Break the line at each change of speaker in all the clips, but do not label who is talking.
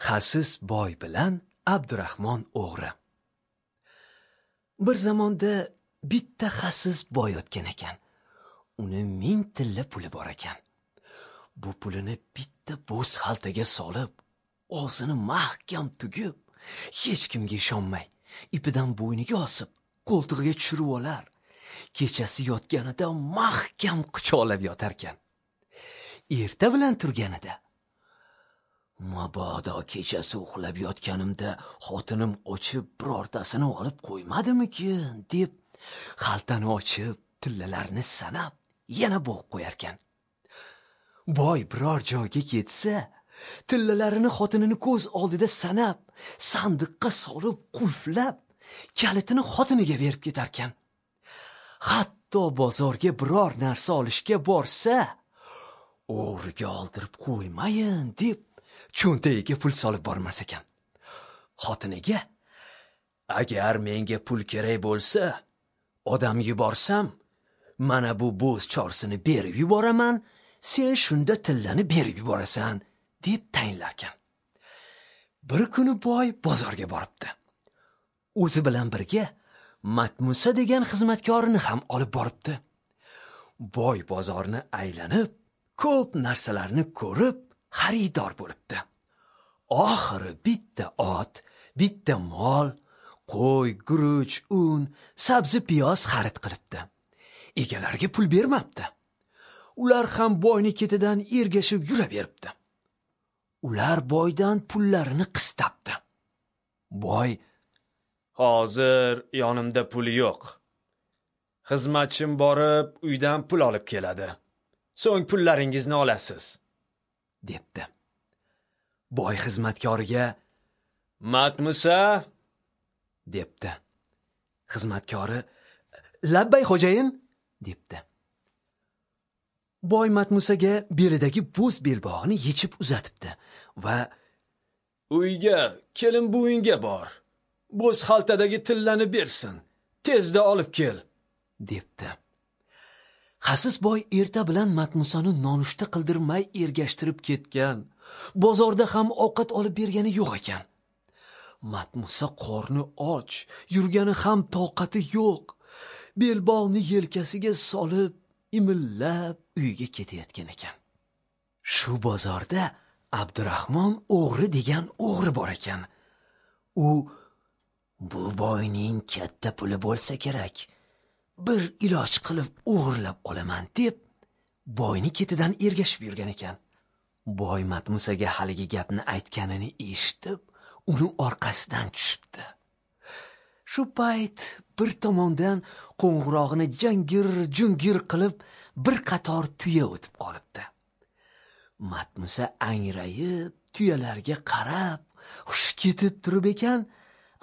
Xasis boy bilan Abdurahmon o'g'ri. Bir zamonda bitta xasis boy yotgan ekan. Uni 1000 tilla puli bor ekan. Bu pulini bitta bo'z xaltaga solib, og'zini mahkam tugib, hech kimga ishonmay, ipidan bo'yniga osib, qo'ltig'iga tushirib olar. Kechasi yotganida mahkam quchoqlab yotarkan. Erta bilan turganida, mabodo kechasi uxlab yotganimda xotinim ochib birortasini olib qo'ymadimikin deb xaltani ochib, tillalarni sanab yana bo'g'ib qo'yarkan. Boy biror joyga ketsa, tillalarini xotinini ko'z oldida sanab, sandiqqa solib qulflab, kalitini xotiniga berib ketarkan. Hatto bozorga biror narsa olishga borsa, o'g'riga oldirib qo'ymayin deb cho'ntagiga pul solib bormas ekan. Xotiniga, agar menga pul kerak bo'lsa, odam yuborsam, mana bu bo'z chorsini berib yuboraman, sen shunda tillani berib yuborasan, deb tayinlarkan. Bir kuni boy bozorga boribdi. O'zi bilan birga Matmusa degan xizmatkorini ham olib boribdi. Boy bozorni aylanib, ko'p narsalarni ko'rib, xaridor bo'libdi. Oxiri bitta ot, bitta mol, qo'y, guruch, un, sabzi, piyoz xarid qilibdi. Egalariga pul bermabdi. Ular ham boyni ketidan ergashib yuraveribdi. Ular boydan pullarini qistabdi. Boy,
hozir yonimda pul yo'q. Xizmatchim borib uydan pul olib keladi. So'ng pullaringizni olasiz,
debdi. Boy xizmatkoriga,
Matmusa,
debdi. Xizmatkori, labbay xo'jayin, debdi. Boy Matmusaga belidagi bo'z belbog'ini yechib uzatibdi va
uyga, kelin buvingga bor. Bo'z xaltadagi tillani bersin. Tezda olib kel,
debdi. Xasis boy erta bilan Matmusani nonushta qildirmay ergashtirib ketgan. Bozorda ham ovqat olib bergani yo'q ekan. Matmusa qorni och, yurgani ham toqati yo'q. Belbog'ni yelkasiga solib, imillab uyga ketayotgan ekan. Shu bozorda Abdurahmon o'g'ri degan o'g'ri bor ekan. U, bu boyning katta puli bo'lsa kerak, bir iloj qilib o'g'irlab olaman deb boyni ketidan ergashib yurgan ekan. Boy Matmusaga haligi gapni aytganini eshitib, uni orqasidan tushibdi. Shu payt bir tomondan qo'ng'irog'ini jangir-jungir qilib bir qator tuya o'tib qolibdi. Matmusa angrayib tuyalarga qarab hushi ketib turib ekan,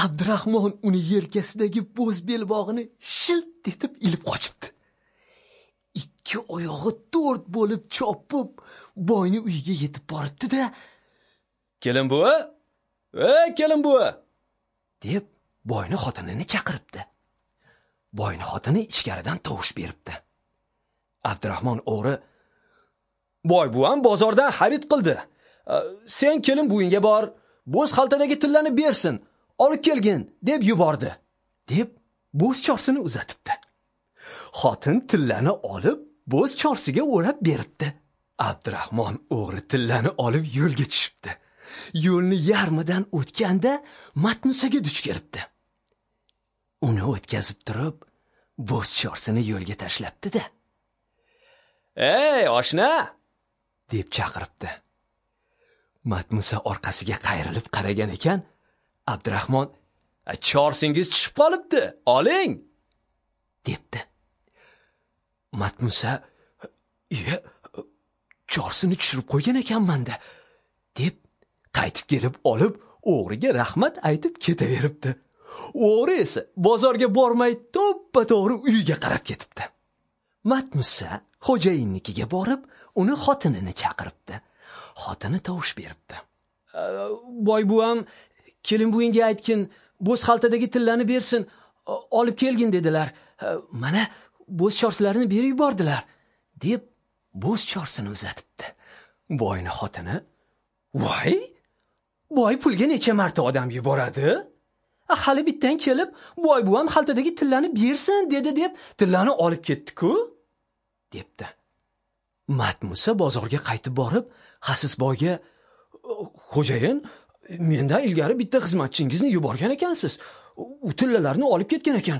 Abdurahmon uni yelkasidagi bo'z belbog'ini shilt etib ilib qochibdi. Ikki oyog'i to'rt bo'lib chopib, boyni uyiga yetib boribdi-da,
"Kelin buva, ey kelin buva!"
deb boyni xotinini chaqiribdi. Boyni xotini ichkaridan tovush beribdi. Abdurahmon o'g'ri,
"Boy buvam bozordan xarid qildi. Sen kelin buvingga bor, bo'z xaltadagi tillani bersin, olib kelgin" deb yubordi,
deb bo'z chorsini uzatibdi. Xotin tillani olib bo'z chorsiga o'rab beribdi. Abdurahmon o'g'ri tillani olib yo'lga tushibdi. Yo'lni yarmidan o'tganda Matmusaga duch kelibdi. Uni o'tkazib turib, bo'z chorsini yo'lga tashlabdi-da,
"Ey oshna!"
deb chaqiribdi. Matmusa orqasiga qayrilib qaragan ekan, Abdurahmon,
"Chorsingiz tushib qolibdi, oling"
debdi. Matmusa, "Iya, chorsini tushirib qo'ygan ekanman-da" deb qaytib kelib olib, o'g'riga rahmat aytib ketaveribdi. O'g'ri esa bozorga bormay to'ppa-to'g'ri uyiga qarab ketibdi. Matmusa xo'jayinnikiga borib, uni xotinini chaqiribdi. Xotini tovush beribdi.
"Boy buvam, kelin buvingga aytgin, bo'z xaltadagi tillani bersin, olib kelgin dedilar. Mana bo'z chorsilarni berib yubordilar" deb bo'z chorsini uzatibdi. Boyni xotini, "Voy, Boy pulga necha marta odam yuboradi? Hali bittan kelib, boy buvam xaltadagi tillani bersin dedi deb tillani olib ketdi-ku, debdi. Matmusa bozorga qaytib borib, xasis boyga: "Xo'jayin, mendan ilgari bitta xizmatchingizni yuborgan ekansiz. U tillalarni olib ketgan ekan.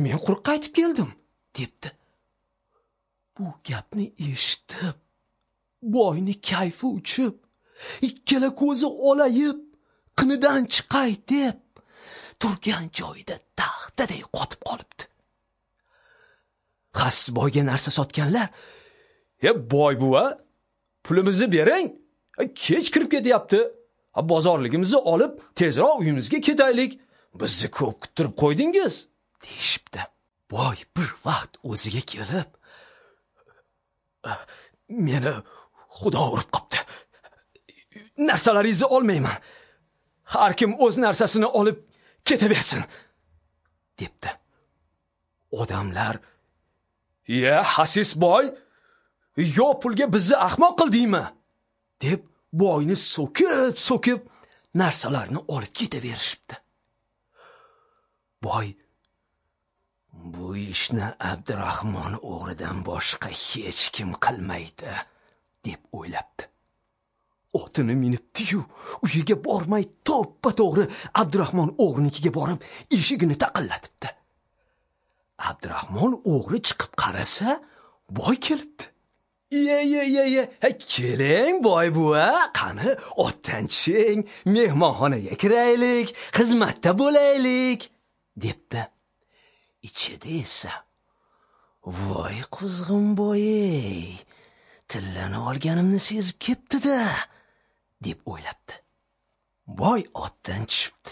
Men quruq qaytib keldim", debdi. Bu gapni eshitib, boyni kayfi uchib, ikkala ko'zi olayib, qinidan chiqay deb turgan joyida taxtaday qotib qolibdi. Xasis boyga narsa sotganlar: "E boy buva, pulimizni bering, kech kirib ketyapti. Bozorligimizni olib, tezroq uyimizga ketaylik. Bizni ko'p kuttirib qo'ydingiz", deyishibdi. Boy bir vaqt o'ziga kelib, "Meni Xudo urib qopti. Narsalaringizni olmayman. Har kim o'z narsasini olib ketaversin", debdi. Odamlar: "Ya xasis boy, yo pulga bizni ahmoq qildingmi?" deb boyni so'kib-so'kib narsalarni olib ketaverishibdi. Boy: "Bu ishni Abdurahmon o'g'ridan boshqa hech kim qilmaydi", deb o'ylabdi. Otini minibdi-yu, uyiga bormay to'ppa-to'g'ri Abdurahmon o'g'rinikiga borib, eshigini taqillatibdi. Abdurahmon o'g'ri chiqib qarasa, boy kelibdi. "Ye ye ye ye, keling boy buva, qani otdan tushing, mehmonxonaga kiraylik, xizmatda bo'laylik", debdi. Ichida esa: "Voy quzg'un boy, tillani olganimni sezib ketdi-da", deb o'ylabdi. Boy otdan tushibdi.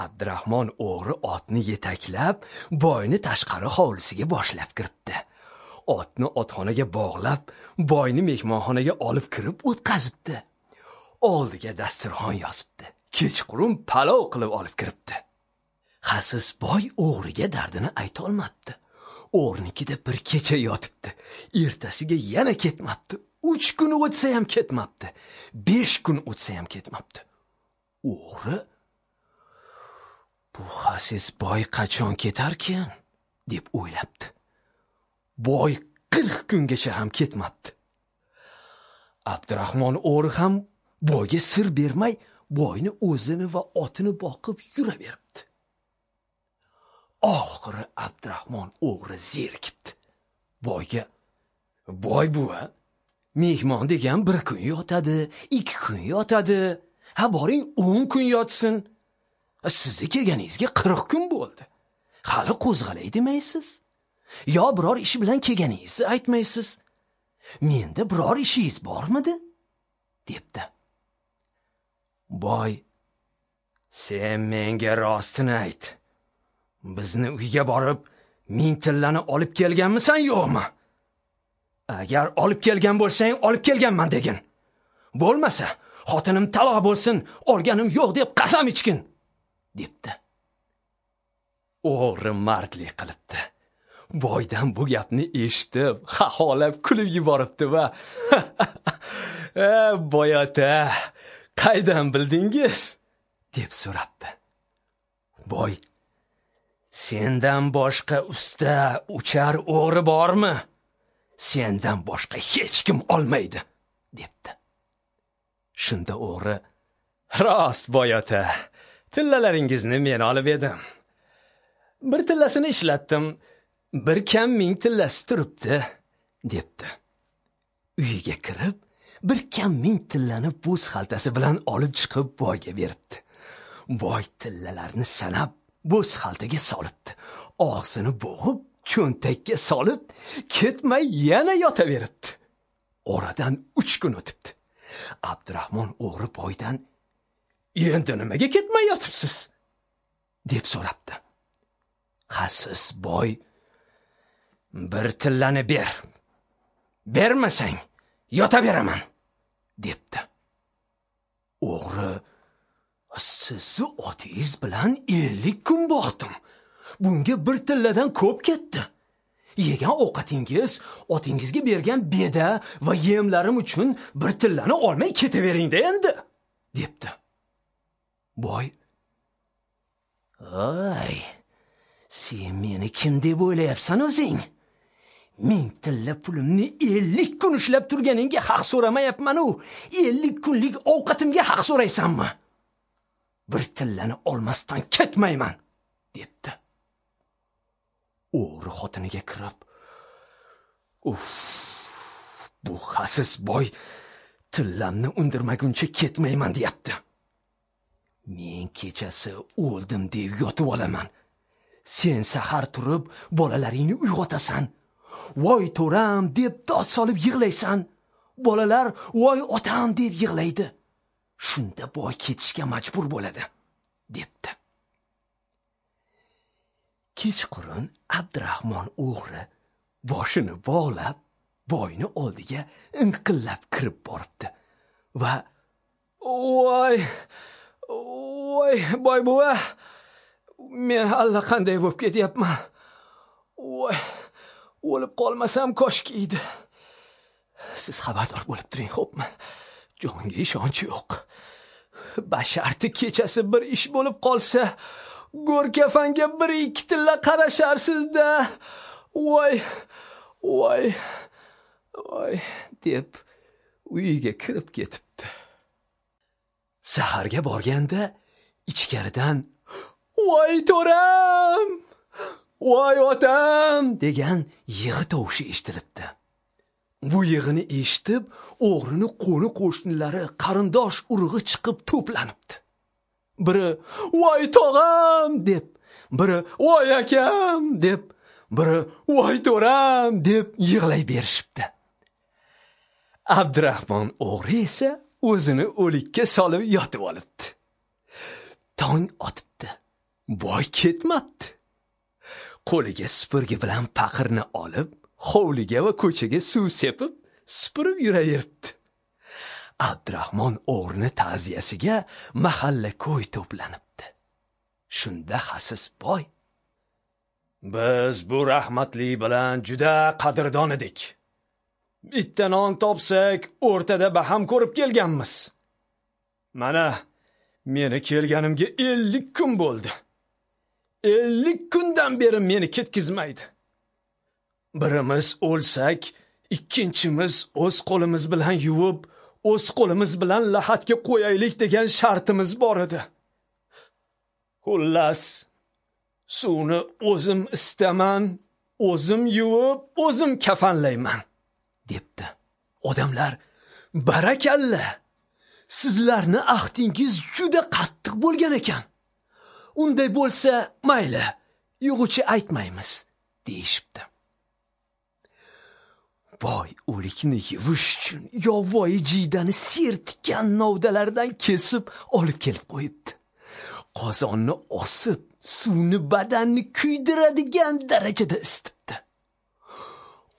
Abdurahmon o'g'ri otni yetaklab, boyni tashqari hovlisiga boshlab kiribdi. Otni otxonaga bog'lab, boyni mehmonxonaga olib kirib o'tqazibdi. Oldiga dasturxon yozibdi. Kechqurun palov qilib olib kiribdi. Xasis boy o'g'riga dardini ayta olmabdi. O'g'rinikida bir kecha yotibdi. Ertasiga yana ketmabdi. 3 kun o'tsa ham ketmabdi. 5 kun o'tsa ham ketmabdi. O'g'ri: "Bu xasis boy qachon ketarkan?" deb o'ylabdi. Boy 40 kungacha ham ketmabdi. Abdurahmon o'g'ri ham boyga sir bermay, boyni o'zini va otini boqib yuraveribdi. Oxiri Abdurahmon o'g'ri zerikibdi. Boyga: "Boy buva, mehmon degan 1 kun yotadi, 2 kun yotadi. Ha boring 10 kun yotsin. Sizni kelganingizga 40 kun bo'ldi. Hali qo'zg'alay demaysiz. Yo biror ish bilan kelganingizni aytmaysiz. Menda biror ishingiz bormidi?" debdi. Boy: "Sen menga rostini ayt. Bizni uyga borib 1000 tillani olib kelganmisan yo'qmi? Agar olib kelgan bo'lsang, olib kelganman degin. Bo'lmasa, xotinim taloq bo'lsin, olganim yo'q deb qasam ichgin", debdi. O'g'ri mardlik qilibdi. Boydan bu gapni eshitib, xaxolab kulib yuboribdi va "Boy ota, qaydan bildingiz?" deb so'rabdi. Boy: "Sendan boshqa usta uchar o'g'ri bormi? Sendan boshqa hech kim olmaydi", debdi. Shunda o'g'ri: "Rost boy ota, tillalaringizni men olib edim. Bir tillasini ishlatdim, bir kam 1000 tillasi turibdi", debdi. Uyiga kirib, bir kam 1000 tillani bo'z xaltasi bilan olib chiqib boyga beribdi. Boy tillalarni sanab bo'z xaltaga solibdi. Og'zini bo'g'ib cho'ntakka solib, ketmay yana yotaveribdi. Oradan 3 kun o'tibdi. Abdurahmon o'g'ri boydan: "Endi nimaga ketmay yotibsiz?" deb so'rabdi. Xasis boy: "Bir tillani ber. Bermasang yotaveraman", debdi. O'g'ri: "Sizni otingiz bilan 50 kun boqdim. Bunga bir tilladan ko'p ketdi. Yegan ovqatingiz, otingizga bergan beda va yemlarim uchun bir tillani olmay ketaveringda endi", debdi.
Boy: "Oy, sen meni kim deb o'ylayapsan o'zing? 1000 tilla pulimni 50 kun ushlab turganingga haq so'ramayapman-u, 50 kunlik ovqatimga haq so'raysanmi? Bir tillani olmasdan ketmayman", debdi. O'g'ri xotiniga kirib: "Uff, bu xasis boy tillamni undirmaguncha ketmayman deyapti. Men kechasi o'ldim deb yotib olaman. Sen sahar turib bolalaringni uyg'otasan. Voy to'ram deb dod solib yig'laysan. Bolalar voy otam deb yig'laydi. Shunda boy ketishga majbur bo'ladi", debdi. Kechqurun Abdurahmon o'g'ri boshini bog'lab boyni oldiga inqillab kirib boribdi va
"Voy, voy boy buva, men allaqanday bo'lib ketyapman. Voy, o'lib qolmasam koshki edi. Siz xabardor bo'lib turing, xo'pmi? Jonga ishonch yo'q. Basharti kechasi bir ish bo'lib qolsa, go'r kafanga bir ikki tilla qarasharsiz-da. Voy, voy, voy", deb uyiga kirib ketibdi.
Saharga borganda ichkaridan
"Voy to'ram, voy otam"
degan yig'i tovushi eshitilibdi. Bu yig'ini eshitib, o'g'rini qo'ni qo'shnilari, qarindosh urug'i chiqib to'planibdi.
Biri "Voy tog'am" deb, biri "Voy akam" deb, biri "Voy to'ram" deb yig'lay berishibdi.
Abdurahmon o'g'ri esa o'zini o'likka solib yotib olibdi. Tong otibdi. Boy ketmabdi. Qo'liga supurgi bilan paqirni olib, hovliga va ko'chaga suv sepib, supurib yuraveribdi. Abdurahmon o'g'rini ta'ziyasiga mahalla ko'y to'planibdi. Shunda xasis boy:
"Biz bu rahmatli bilan juda qadrdon edik. Bitta non topsak, o'rtada baham ko'rib kelganmiz. Mana meni kelganimga 50 kun bo'ldi. 50 kundan beri meni ketkizmaydi. Birimiz o'lsak, ikkinchimiz o'z qo'limiz bilan yuvib, o'z qo'limiz bilan lahatga qo'yaylik degan shartimiz bor edi. Xullas, suvni o'zim istaman, o'zim yuvib, o'zim kafanlayman",
debdi. Odamlar: "Barakalla, sizlarni ahdingiz juda qattiq bo'lgan ekan. Unday bo'lsa, mayli, yo'g'ichi aytmaymiz", deyishibdi. Boy o'likni yuvish uchun yovvoyi jiydani sertikan novdalardan kesib olib kelib qo'yibdi. Qozonni osib, suvni badanni kuydiradigan darajada isitibdi.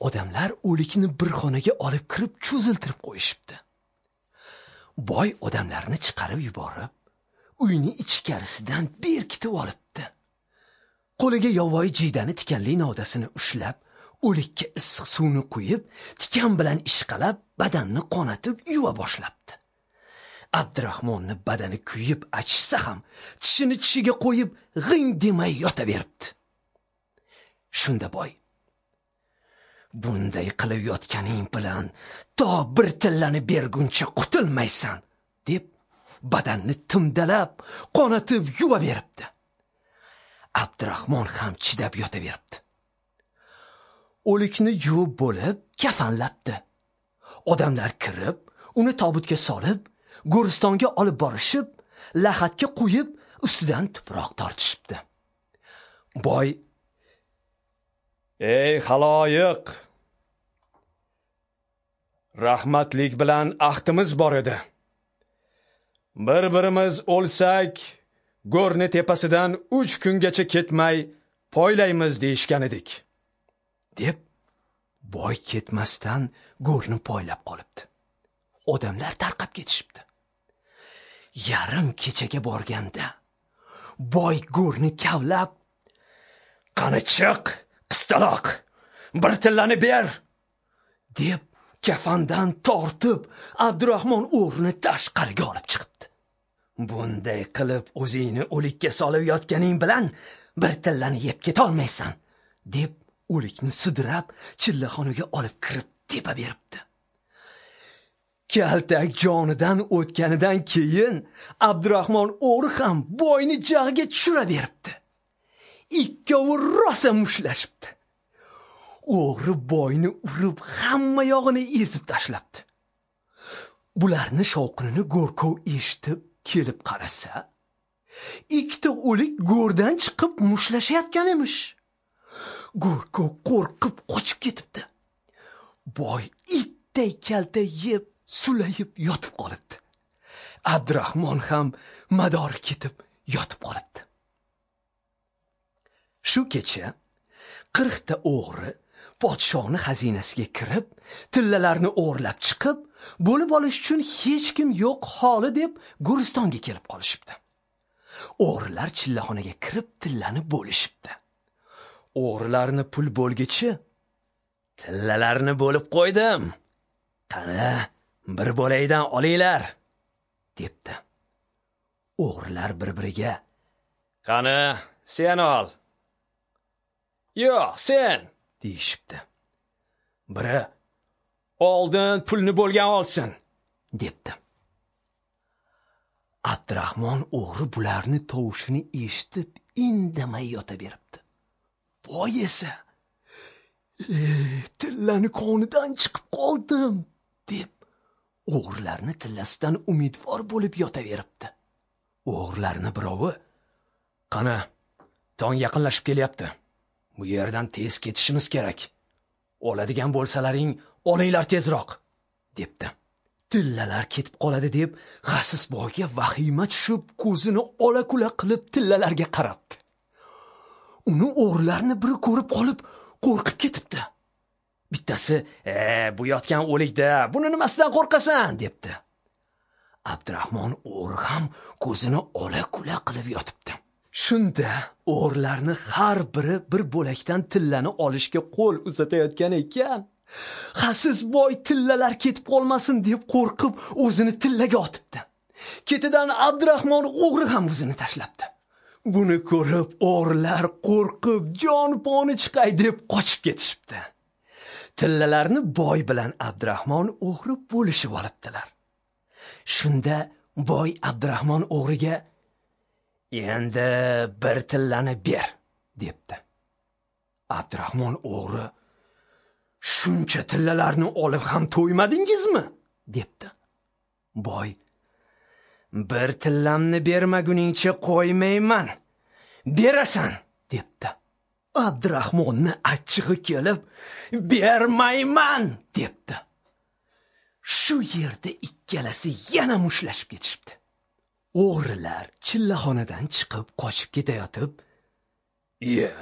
Odamlar o'likni bir xonaga olib kirib cho'ziltirib qo'yishibdi. Boy odamlarni chiqarib yuborib, uyni ichkarisidan berkitib olibdi. Qo'liga yovvoyi jiydani tikanli novdasini ushlab, o'likka issiq suvni quyib, tikan bilan ishqalab, badanni qonatib yuva boshlabdi. Abdurahmonni badani kuyib achishsa ham, tishini tishiga qo'yib, g'ing demay yotaveribdi. Shunda boy: "Bunday qilib yotganing bilan to bir tillani berguncha qutulmaysan", deb badanni timdalab, qonatib yuva beribdi. Abdurahmon ham chidab yotaveribdi. O'likni yuvib bo'lib, kafanlabdi. Odamlar kirib, uni tobutga solib, go'ristonga olib borishib, lahatga qo'yib, ustidan tuproq tortishibdi. Boy:
"Ey xaloyiq, rahmatlik bilan ahdimiz bor edi. Bir-birimiz o'lsak, go'rni tepasidan 3 kungacha ketmay poylaymiz deyishgan edik",
deb boy ketmasdan go'rni poylab qolibdi. Odamlar tarqab ketishibdi. Yarim kechaga borganda boy go'rni kavlab,
"Qani chiq, qistaloq, bir tillani ber",
deb kafandan tortib Abdurahmon o'g'rini tashqariga olib chiqibdi. Bunday qilib o'zingni o'likka solib yotganing bilan bir tillani yeb ketolmaysan, deb o'likni sudrab chillaxonaga olib kirib tepa beribdi. Kaltak jonidan o'tganidan keyin Abdurahmon o'g'ri ham boyni jag'iga tushira beribdi. Ikkovi rosa mushlashibdi. O'g'ri boyni urib hamma yog'ini ezib tashlabdi. Bularni shovqinini go'rkov eshitib kelib qarasa, ikkita o'lik go'rdan chiqib mushlashayotgan emish. Go'rkov qo'rqib qochib ketibdi. Boy itday kalta yeb sulayib yotib qolibdi. Abdurahmon ham madori ketib yotib qolibdi. Shu kecha 40 ta o'g'ri podshoni xazinasiga kirib, tillalarni o'g'irlab chiqib, bo'lib olish uchun hech kim yo'q holi deb Guristonga kelib qolishibdi. O'g'rilar chillaxonaga kirib tillani bo'lishibdi. O'g'rilarni pul bo'lgichi tillalarni bo'lib qo'ydim. Qani, bir bo'laydan olinglar, debdi. O'g'rilar bir-biriga: "Qani, sen ol." "Yo'q, sen," deyishibdi. Biri: "Oldin pulni bo'lgan olsin," debdi. Abdurahmon o'g'ri bularni tovushini eshitib indamay yotaveribdi. Boy esa: "Tillani qonidan chiqib qoldim," deb o'g'rilarni tillasidan umidvor bo'lib yotaveribdi. O'g'rilarni birovi: "Qani, tong yaqinlashib kelyapti. Bu yerdan tez ketishimiz kerak. Oladigan bo'lsalaring, olinglar tezroq," debdi. Tillalar ketib qoladi deb xasis boyga vahima tushib, ko'zini ola-kula qilib tillalarga qarabdi. Uni o'g'rilarni biri ko'rib qolib, qo'rqib ketibdi. Bittasi: "Bu yotgan o'likda, buni nimasidan qo'rqasan?" debdi. Abdurahmon o'g'ri ham ko'zini ola-kula qilib yotibdi. Shunda o'g'rilarni har biri bir bo'lakdan tillani olishga qo'l uzatayotgan ekan. Xasis boy tillalar ketib qolmasin deb qo'rqib o'zini tillaga otibdi. Ketidan Abdurahmon o'g'ri ham o'zini tashlabdi. Buni ko'rib o'g'rilar qo'rqib jon poni chiqay deb qochib ketishibdi. Tillalarni boy bilan Abdurahmon o'g'ri bo'lishib olibdilar. Shunda boy Abdurahmon o'g'riga: "Endi bir tillani ber," debdi. Abdurahmon o'g'ri: "Shuncha tillalarni olib ham to'ymadingizmi?" debdi. Boy: "Bir tillamni bermaguningcha qo'ymayman. Berasan," debdi. Abdurahmonni achchig'i kelib, "Bermayman," debdi. Shu yerda ikkalasi yana mushlashib ketishibdi. O'g'rilar chillaxonadan chiqib qochib ketayotib, "Iya,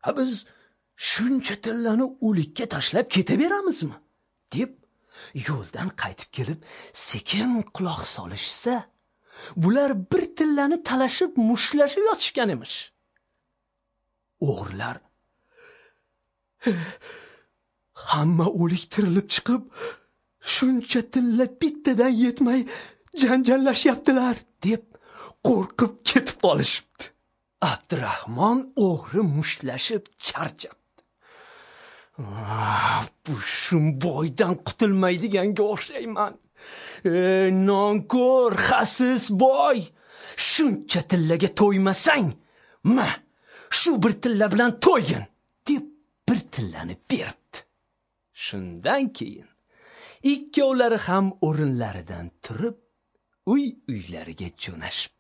ha biz shuncha tillani o'likka tashlab ketaveramizmi?" deb yo'ldan qaytib kelib sekin quloq solishsa, bular bir tillani talashib mushlashib yotishgan emish. O'g'rilar: "Hamma o'lik tirilib chiqib, shuncha tilla bittadan yetmay janjallashyaptilar," deb qo'rqib ketib qolishibdi. Abdurahmon o'g'ri mushtlashib charchabdi. "Bu shumboydan qutulmaydiganga o'xshayman. Nonko'r xasis boy, shuncha tillaga to'ymasang, ma, shu bir tilla bilan to'ygin," deb bir tillani beribdi. Shundan keyin ikkovlari ham o'rinlaridan turib uy-uylariga jo'nashibdi.